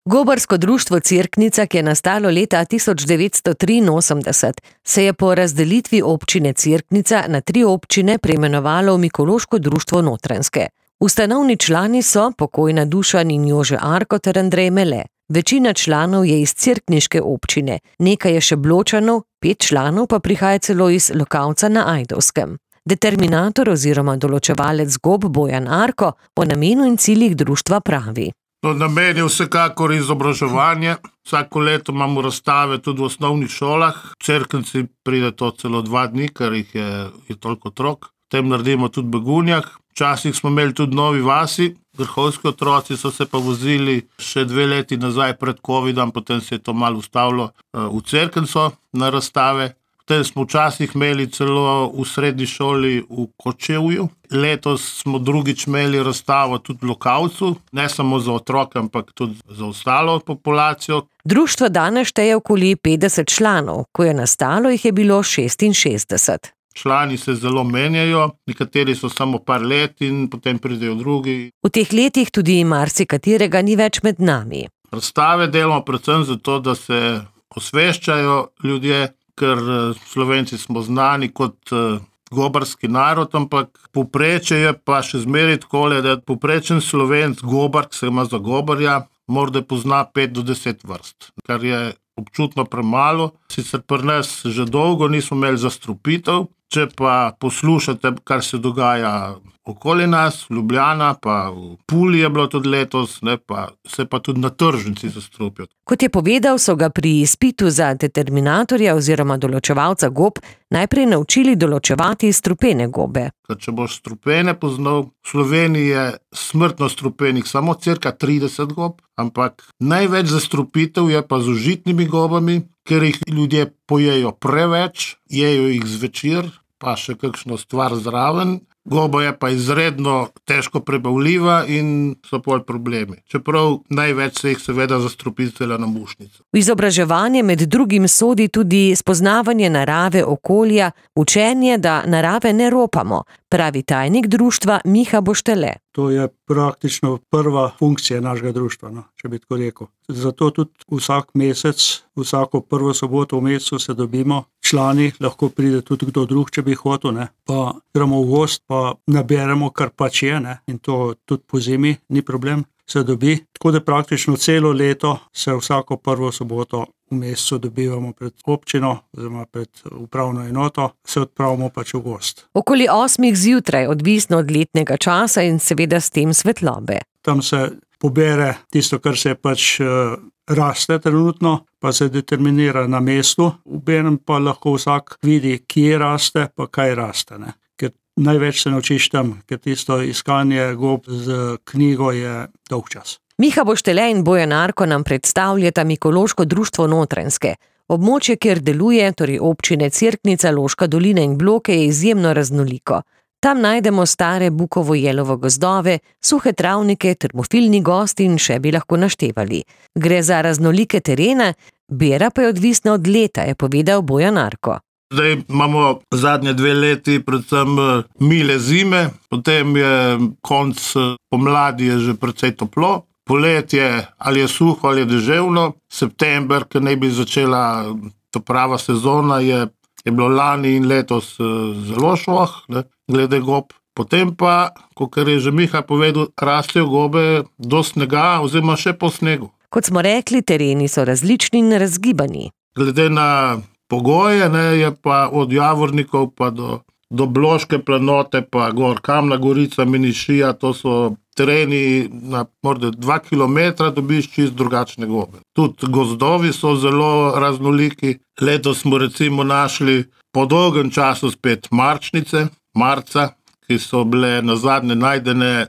Gobarsko društvo Cerknica, ki je nastalo leta 1983, se je po razdelitvi občine Cerknica na 3 občine preimenovalo v Mikološko društvo Notranjske. Ustanovni člani so pokojna Dušan in Jože Arko ter Andrej Mele. Večina članov je iz cerkniške občine, nekaj je še Bločanov, 5 članov pa prihaja celo iz Lokavca na Ajdovskem. Determinator oziroma določevalec gob Bojan Arko o namenu in ciljih društva pravi. Namen je vsekakor izobraževanje. Vsako leto imamo razstave tudi v osnovnih šolah. V Cerknici pride to celo 2 dni, ker jih je toliko otrok. Potem naredimo tudi v Begunjah. Včasih smo imeli tudi Novi vasi. Vrhovski otroci so se pa vozili še 2 leti nazaj pred covidom, potem se je to malo ustavilo v Cerknico na razstave. Potem smo včasih imeli celo v srednji šoli v Kočevju. Letos smo drugič imeli razstavo tudi v Lokavcu, ne samo za otroke, ampak tudi za ostalo populacijo. Društvo danes šteje okoli 50 članov, ko je nastalo, jih je bilo 66. Člani se zelo menjajo, nekateri so samo par let in potem pridejo drugi. V teh letih tudi marsikaterega ni več med nami. Razstave delamo predvsem zato, da se osveščajo ljudje, ker Slovenci smo znani kot gobarski narod, ampak povprečje je pa še zmeraj takole, da povprečen Slovenc gobar, ki se ima za gobarja, morda pozna 5 do 10 vrst, kar je občutno premalo. Sicer pri nas že dolgo nismo imeli zastrupitev, če pa poslušate, kar se dogaja okoli nas, v Ljubljana, pa v Puli je bilo tudi letos, se pa tudi na tržnici zastrupijo. Kot je povedal, so ga pri izpitu za determinatorja oziroma določevalca gob najprej naučili določevati strupene gobe. Ker če boš strupene poznal, v Sloveniji je smrtno strupenih samo cirka 30 gob, ampak največ zastrupitev je pa z užitnimi gobami, ker jih ljudje pojejo preveč, jejo jih zvečer, pa še kakšno stvar zraven. Goba je pa izredno težko prebavljiva in so pol problemi. Čeprav največ se jih seveda zastrupi cela na mušnico. V izobraževanje med drugim sodi tudi spoznavanje narave, okolja, učenje, da narave ne ropamo, pravi tajnik društva Miha Boštele. To je praktično prva funkcija našega društva, če bi tako rekel. Zato tudi vsak mesec, vsako prvo soboto v mesecu se dobimo, člani, lahko pride tudi kdo drug, če bi hotel, pa gremo v gost, pa naberemo, kar pač je, in to tudi po zimi ni problem, se dobi. Tako da praktično celo leto se vsako prvo soboto v mesecu dobivamo pred občino, oziroma pred upravno enoto, se odpravimo pač v gost. Okoli 8 zjutraj, odvisno od letnega časa in seveda s tem svetlobe. Tam se pobere tisto, kar se pač raste trenutno, pa se determinira na mestu, obenem pa lahko vsak vidi, kje raste, pa kaj raste. Ker največ se naučiš tam, ker tisto iskanje gob z knjigo je dolg čas. Miha Boštele in Bojan Arko nam predstavljata Mikološko društvo Notranjske. Območje, kjer deluje, torej občine Cerknica, Loška dolina in Bloke, je izjemno raznoliko. Tam najdemo stare bukovo-jelovo gozdove, suhe travnike, termofilni gozd in še bi lahko naštevali. Gre za raznolike terene, bera pa je odvisna od leta, je povedal Bojan Arko. Zdaj imamo zadnje 2 leti predvsem mile zime, potem je konc pomladi je že precej toplo, poletje ali je suho ali je deževno, september, ki naj bi začela to prava sezona, je bilo lani in letos zelo šloh, glede gob. Potem pa, kot je že Miha povedal, rastejo gobe do snega oziroma še po snegu. Kot smo rekli, tereni so različni in razgibani. Glede na pogoje, je pa od Javornikov pa do Bloške planote, pa gor Kamna Gorica, Minišija, to so tereni na morda 2 kilometra, dobiš čist drugačne gobe. Tudi gozdovi so zelo raznoliki. Letos smo recimo našli po dolgem času spet marčnice, marca, ki so bile nazadnje najdene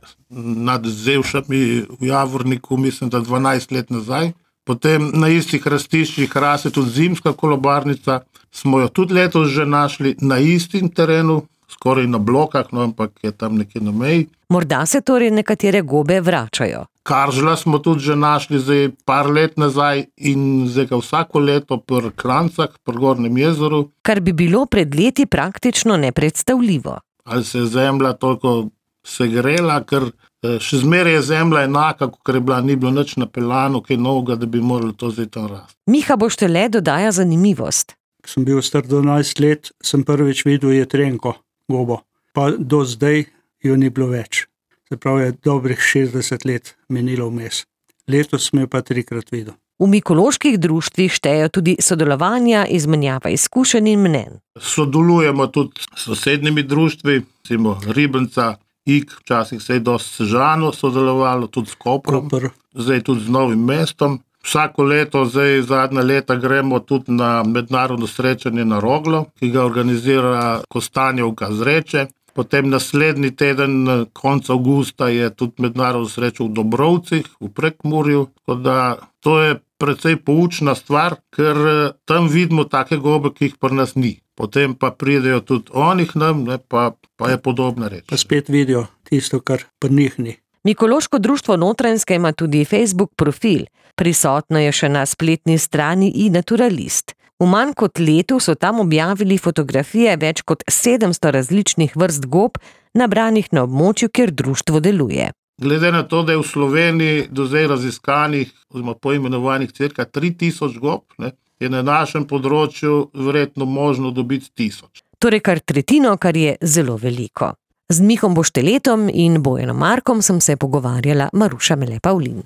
nad Zevšami v Javorniku, mislim, da 12 let nazaj. Potem na istih rastiščih raste tudi zimska kolobarnica, smo jo tudi letos že našli na istim terenu, skoraj na Blokah, ampak je tam nekje na meji. Morda se torej nekatere gobe vračajo. Karžla smo tudi že našli zdaj par let nazaj in zdaj ga vsako leto pri Krancah, pri Gornjem jezeru. Kar bi bilo pred leti praktično nepredstavljivo. Ali se je zemlja toliko segrela, ker še zmeraj je zemlja enaka, kot je bila, ni bilo nič napeljano, kaj novega, da bi morali to zdaj tam rasti. Miha Boštele dodaja zanimivost. Ko sem bil star 12 let, sem prvič videl jetrenko gobo, pa do zdaj jo ni bilo več. Se pravi, je dobrih 60 let minilo vmes. Letos sem jo pa 3-krat videl. V mikoloških društvih štejejo tudi sodelovanja, izmenjava izkušenj in mnenj. Sodelujemo tudi s sosednjimi društvi, recimo Ribnica, Ig, včasih se je dosti Sežano sodelovalo, tudi s Koprom, zdaj tudi z Novim mestom. Vsako leto, zdaj zadnja leta, gremo tudi na mednarodno srečanje na Roglo, ki ga organizira Kostanjevka z Reče. Potem naslednji teden, konec avgusta, je tudi mednarodno srečo v Dobrovcih, v Prekmurju. Tako da to je precej poučna stvar, ker tam vidimo take gobe, ki jih pri nas ni. Potem pa pridejo tudi oni k nam, pa je podobna reč. Pa spet vidijo tisto, kar pri njih ni. Mikološko društvo Notranjske ima tudi Facebook profil. Prisotno je še na spletni strani iNaturalist. V manj kot letu so tam objavili fotografije več kot 700 različnih vrst gob, nabranih na območju, kjer društvo deluje. Glede na to, da je v Sloveniji do zdaj raziskanih oziroma poimenovanih cirka 3000 gob, je na našem področju verjetno možno dobiti 1000. Torej kar tretjino, kar je zelo veliko. Z Mihom Bošteletom in Bojanom Markom sem se pogovarjala Maruša Mele Pavlin.